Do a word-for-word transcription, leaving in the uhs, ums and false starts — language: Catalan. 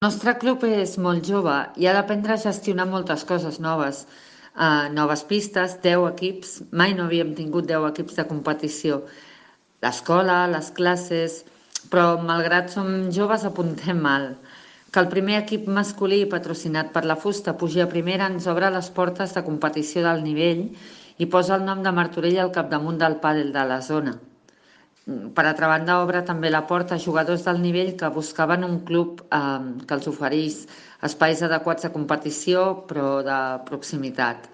El nostre club és molt jove i ha d'aprendre a gestionar moltes coses noves. Uh, noves pistes, deu equips, mai no havíem tingut deu equips de competició. L'escola, les classes, però malgrat som joves apuntem mal. Que el primer equip masculí patrocinat per la fusta pugi a primera ens obre les portes de competició del nivell i posa el nom de Martorell al capdamunt del pàdel de la zona. Per altra banda, obre també la porta a jugadors del nivell que buscaven un club eh, que els oferís espais adequats de competició però de proximitat.